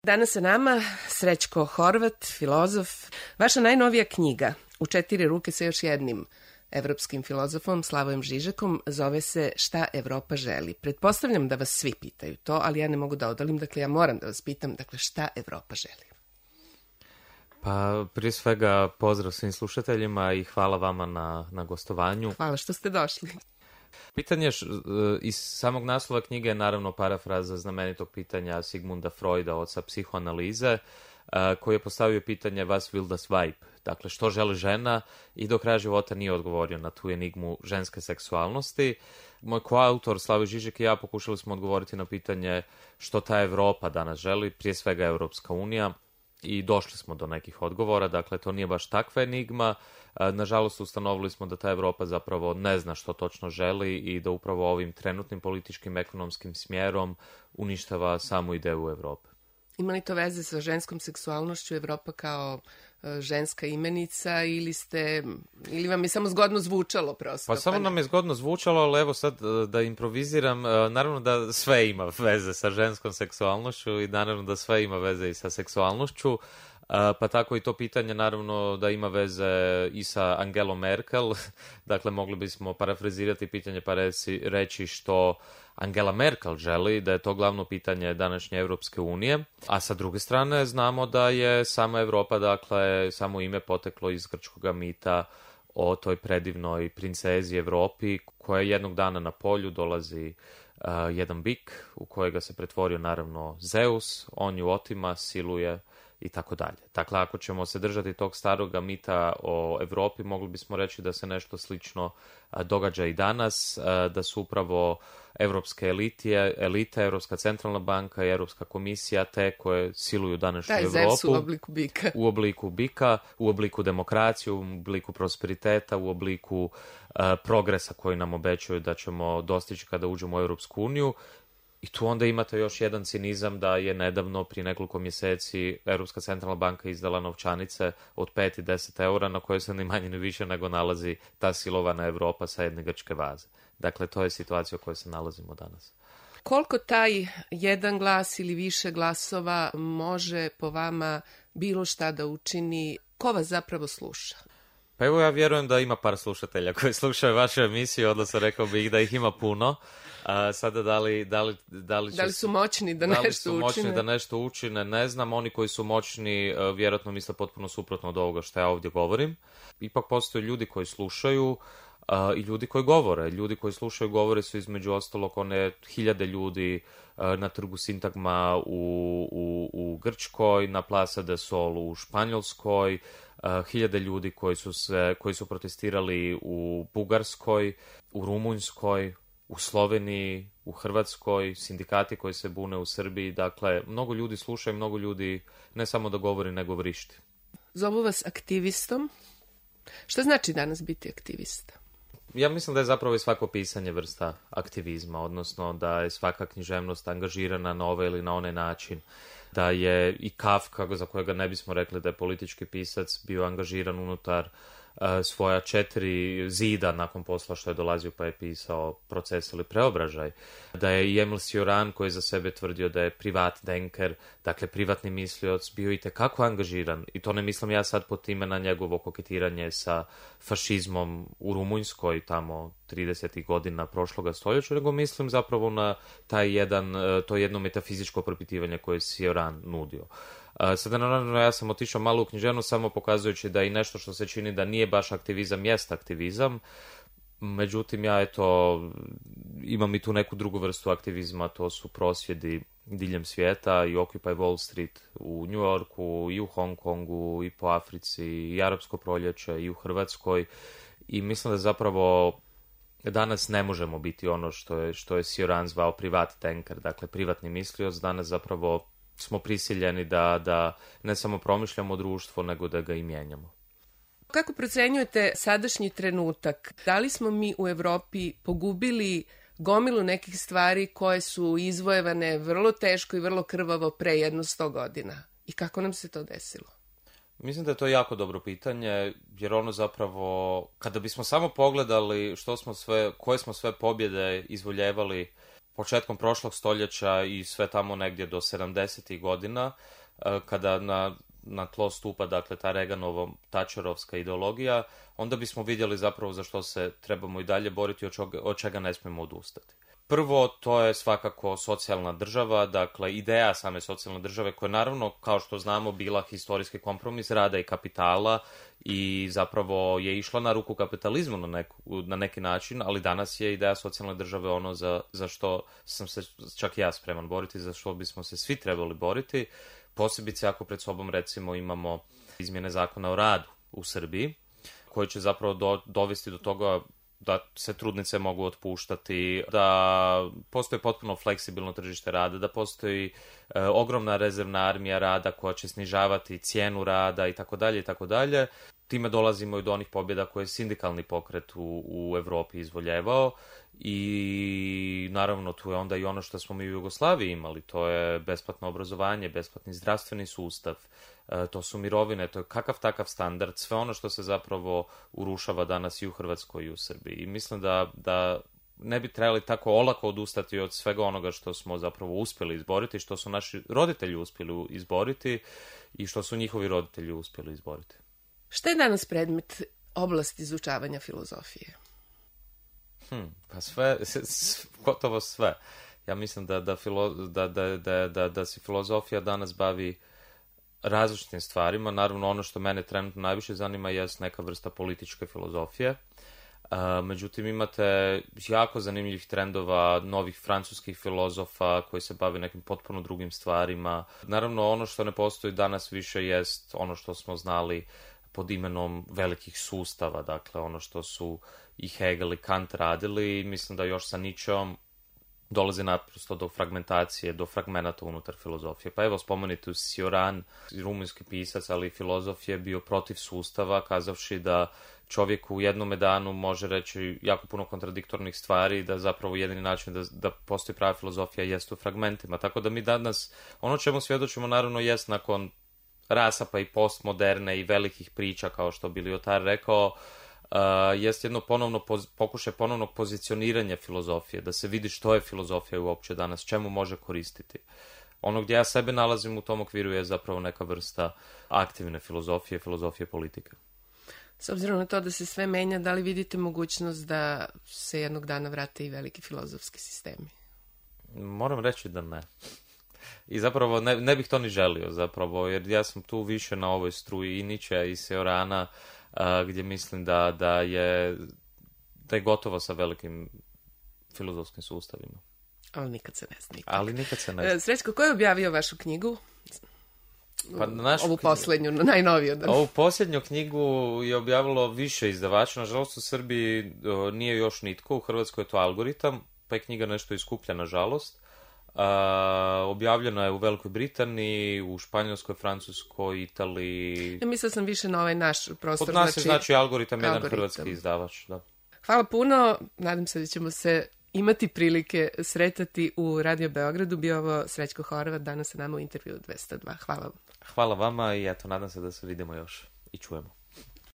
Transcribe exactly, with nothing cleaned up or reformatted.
Danas sa nama Srećko Horvat, filozof. Vaša najnovija knjiga U četiri ruke sa još jednim evropskim filozofom Slavojem Žižekom zove se Šta Evropa želi. Pretpostavljam da vas svi pitaju to, ali ja ne mogu da odolim, dakle ja moram da vas pitam, dakle šta Evropa želi? Pa prije svega pozdrav svim slušateljima i hvala vama na, na gostovanju. Hvala što ste došli. Pitanje š, iz samog naslova knjige je naravno parafraza znamenitog pitanja Sigmunda Freuda, oca psihoanalize, koji je postavio pitanje Was will das Weib? Dakle, što želi žena, i do kraja života nije odgovorio na tu enigmu ženske seksualnosti. Moj koautor Slavoj Žižek i ja pokušali smo odgovoriti na pitanje što ta Evropa danas želi, prije svega Europska unija, i došli smo do nekih odgovora. Dakle, to nije baš takva enigma. Nažalost, ustanovili smo da ta Evropa zapravo ne zna što točno želi i da upravo ovim trenutnim političkim, ekonomskim smjerom uništava samu ideju Evrope. Ima li to veze sa ženskom seksualnošću, Evropa kao uh, ženska imenica, ili ste, ili vam je samo zgodno zvučalo prosto? Pa samo nam je zgodno zvučalo, ali evo sad da improviziram, naravno da sve ima veze sa ženskom seksualnošću i naravno da sve ima veze i sa seksualnošću, pa tako i to pitanje naravno da ima veze i sa Angelom Merkel. Dakle, mogli bismo parafrazirati pitanje pa reći, reći što Angela Merkel želi, da je to glavno pitanje današnje Europske unije, a sa druge strane znamo da je sama Evropa, dakle, samo ime poteklo iz grčkog mita o toj predivnoj princezi Evropi, koja jednog dana na polju dolazi uh, jedan bik u kojega se pretvorio naravno Zeus, on ju otima, siluje i tako dalje. Dakle, ako ćemo se držati tog staroga mita o Evropi, mogli bismo reći da se nešto slično a, događa i danas, a, da su upravo evropske elite, elite, Evropska centralna banka i Evropska komisija te koje siluju današnju Taj Evropu. Zeus u obliku bika. U obliku bika, u obliku demokracije, u obliku prosperiteta, u obliku a, progresa koji nam obećaju da ćemo dostići kada uđemo u Europsku uniju. I tu onda imate još jedan cinizam da je nedavno, prije nekoliko mjeseci, Europska centralna banka izdala novčanice od pet i deset eura na koje se ni manje ni više nego nalazi ta silovana Evropa sa jedne grčke vaze. Dakle, to je situacija u kojoj se nalazimo danas. Koliko taj jedan glas ili više glasova može po vama bilo šta da učini? Ko vas zapravo sluša? Pa evo, ja vjerujem da ima par slušatelja koji slušaju vašu emisiju, odnosno rekao bih da ih ima puno. A sada da li, da li, da li, će, da li su moćni da, da nešto li su moćni učine? da nešto učine, ne znam. Oni koji su moćni vjerojatno misle potpuno suprotno od ovoga što ja ovdje govorim. Ipak postoje ljudi koji slušaju uh, i ljudi koji govore. Ljudi koji slušaju govore su između ostalog one hiljade ljudi uh, na trgu Sintagma u, u, u Grčkoj, na Plaza de Sol u Španjolskoj, Uh, hiljade ljudi koji su, se, koji su protestirali u Bugarskoj, u Rumunjskoj, u Sloveniji, u Hrvatskoj, sindikati koji se bune u Srbiji. Dakle, mnogo ljudi sluša i mnogo ljudi ne samo da govori, nego vrišti. Zovu vas aktivistom. Šta znači danas biti aktivista? Ja mislim da je zapravo i svako pisanje vrsta aktivizma, odnosno da je svaka književnost angažirana na ovaj ili na onaj način. Da je i Kafka, za kojega ne bismo rekli da je politički pisac, bio angažiran unutar uh, svoja četiri zida nakon posla što je dolazio pa je pisao Proces ili Preobražaj. Da je i Emil Cioran, koji je za sebe tvrdio da je privat denker, dakle privatni mislioc, bio i tekako angažiran. I to ne mislim ja sad pod time na njegovo koketiranje sa fašizmom u Rumunjskoj tamo tridesetih godina prošloga stoljeća, nego mislim zapravo na taj jedan, to jedno metafizičko propitivanje koje je Cioran nudio. Sada naravno ja sam otišao malo u književnost samo pokazujući da i nešto što se čini da nije baš aktivizam jest aktivizam. Međutim, ja eto imam i tu neku drugu vrstu aktivizma, to su prosvjedi diljem svijeta i Occupy Wall Street u New Yorku i u Hong Kongu i po Africi i Arapsko proljeće i u Hrvatskoj. I mislim da zapravo danas ne možemo biti ono što je, što je Cioran zvao privat tanker, dakle privatni mislioc. Danas zapravo smo prisiljeni da, da ne samo promišljamo društvo, nego da ga i mijenjamo. Kako procenjujete sadašnji trenutak? Da li smo mi u Evropi pogubili gomilu nekih stvari koje su izvojevane vrlo teško i vrlo krvavo pre jedno sto godina? I kako nam se to desilo? Mislim da je to jako dobro pitanje, jer ono zapravo, kada bismo samo pogledali što smo sve, koje smo sve pobjede izvoljevali početkom prošlog stoljeća i sve tamo negdje do sedamdesetih godina, kada na, na tlo stupa, dakle, ta Reaganovo Thatcherovska ideologija, onda bismo vidjeli zapravo za što se trebamo i dalje boriti i od čega ne smijemo odustati. Prvo, to je svakako socijalna država, dakle, ideja same socijalne države, koja je naravno, kao što znamo, bila historijski kompromis rada i kapitala i zapravo je išla na ruku kapitalizmu na, neku, na neki način, ali danas je ideja socijalne države ono za, za što sam se čak i ja spreman boriti, za što bismo se svi trebali boriti, posebice ako pred sobom, recimo, imamo izmjene zakona o radu u Srbiji, koji će zapravo do, dovesti do toga da se trudnice mogu otpuštati, da postoji potpuno fleksibilno tržište rada, da postoji e, ogromna rezervna armija rada koja će snižavati cijenu rada i tako dalje i tako dalje. Time dolazimo i do onih pobjeda koje je sindikalni pokret u, u Evropi izvoljevao i naravno tu je onda i ono što smo mi u Jugoslaviji imali, to je besplatno obrazovanje, besplatni zdravstveni sustav, e, to su mirovine, to je kakav takav standard, sve ono što se zapravo urušava danas i u Hrvatskoj i u Srbiji. I mislim da, da ne bi trebali tako olako odustati od svega onoga što smo zapravo uspjeli izboriti, što su naši roditelji uspjeli izboriti i što su njihovi roditelji uspjeli izboriti. Šta je danas predmet oblasti izučavanja filozofije? Hmm, pa sve, gotovo sve. Ja mislim da, da, filo, da, da, da, da, da se filozofija danas bavi različitim stvarima. Naravno, ono što mene trenutno najviše zanima je neka vrsta političke filozofije. Uh, međutim, imate jako zanimljivih trendova novih francuskih filozofa koji se bave nekim potpuno drugim stvarima. Naravno, ono što ne postoji danas više jest ono što smo znali pod imenom velikih sustava, dakle ono što su i Hegel i Kant radili. Mislim da još sa Nietzscheom dolazi naprosto do fragmentacije, do fragmenata unutar filozofije. Pa evo, spomenuti Cioran, rumunjski pisac, ali i filozof, je bio protiv sustava, kazavši da čovjek u jednom danu može reći jako puno kontradiktornih stvari, da zapravo jedini način da, da postoji prava filozofija jest u fragmentima. Tako da mi danas, ono čemu svjedočimo naravno jest nakon rasapa i postmoderne i velikih priča, kao što bi Lyotard rekao, Uh, jest jedno ponovno poz, pokušaj ponovnog pozicioniranja filozofije, da se vidi što je filozofija uopće danas, čemu može koristiti. Ono gdje ja sebe nalazim u tom okviru je zapravo neka vrsta aktivne filozofije, filozofije politike. S obzirom na to da se sve menja, da li vidite mogućnost da se jednog dana vrate i veliki filozofski sistemi? Moram reći da ne. I zapravo ne, ne bih to ni želio zapravo, jer ja sam tu više na ovoj struji i Nietzschea i Ciorana, Uh, gdje mislim da, da, je, da je gotovo sa velikim filozofskim sustavima. Ali nikad se ne zna. Ali nikad se ne zna. Srećko, ko je objavio vašu knjigu? Pa našu Ovu knjigu, posljednju, najnoviju. Da. Ovu posljednju knjigu je objavilo više izdavača. Nažalost, u Srbiji o, nije još nitko. U Hrvatskoj je to Algoritam, pa je knjiga nešto iskuplja, nažalost. Uh, objavljena je u Velikoj Britaniji, u Španjolskoj, Francuskoj, Italiji. Ja mislila sam više na ovaj naš prostor. Kod nas znači, je znači Algoritam, jedan Algoritam. hrvatski izdavač. Da. Hvala puno. Nadam se da ćemo se imati prilike sretati u Radio Beogradu. Bio ovo Srećko Horvat, danas sa nama u intervju dvesta dva. Hvala vam. Hvala vama i eto, nadam se da se vidimo još i čujemo.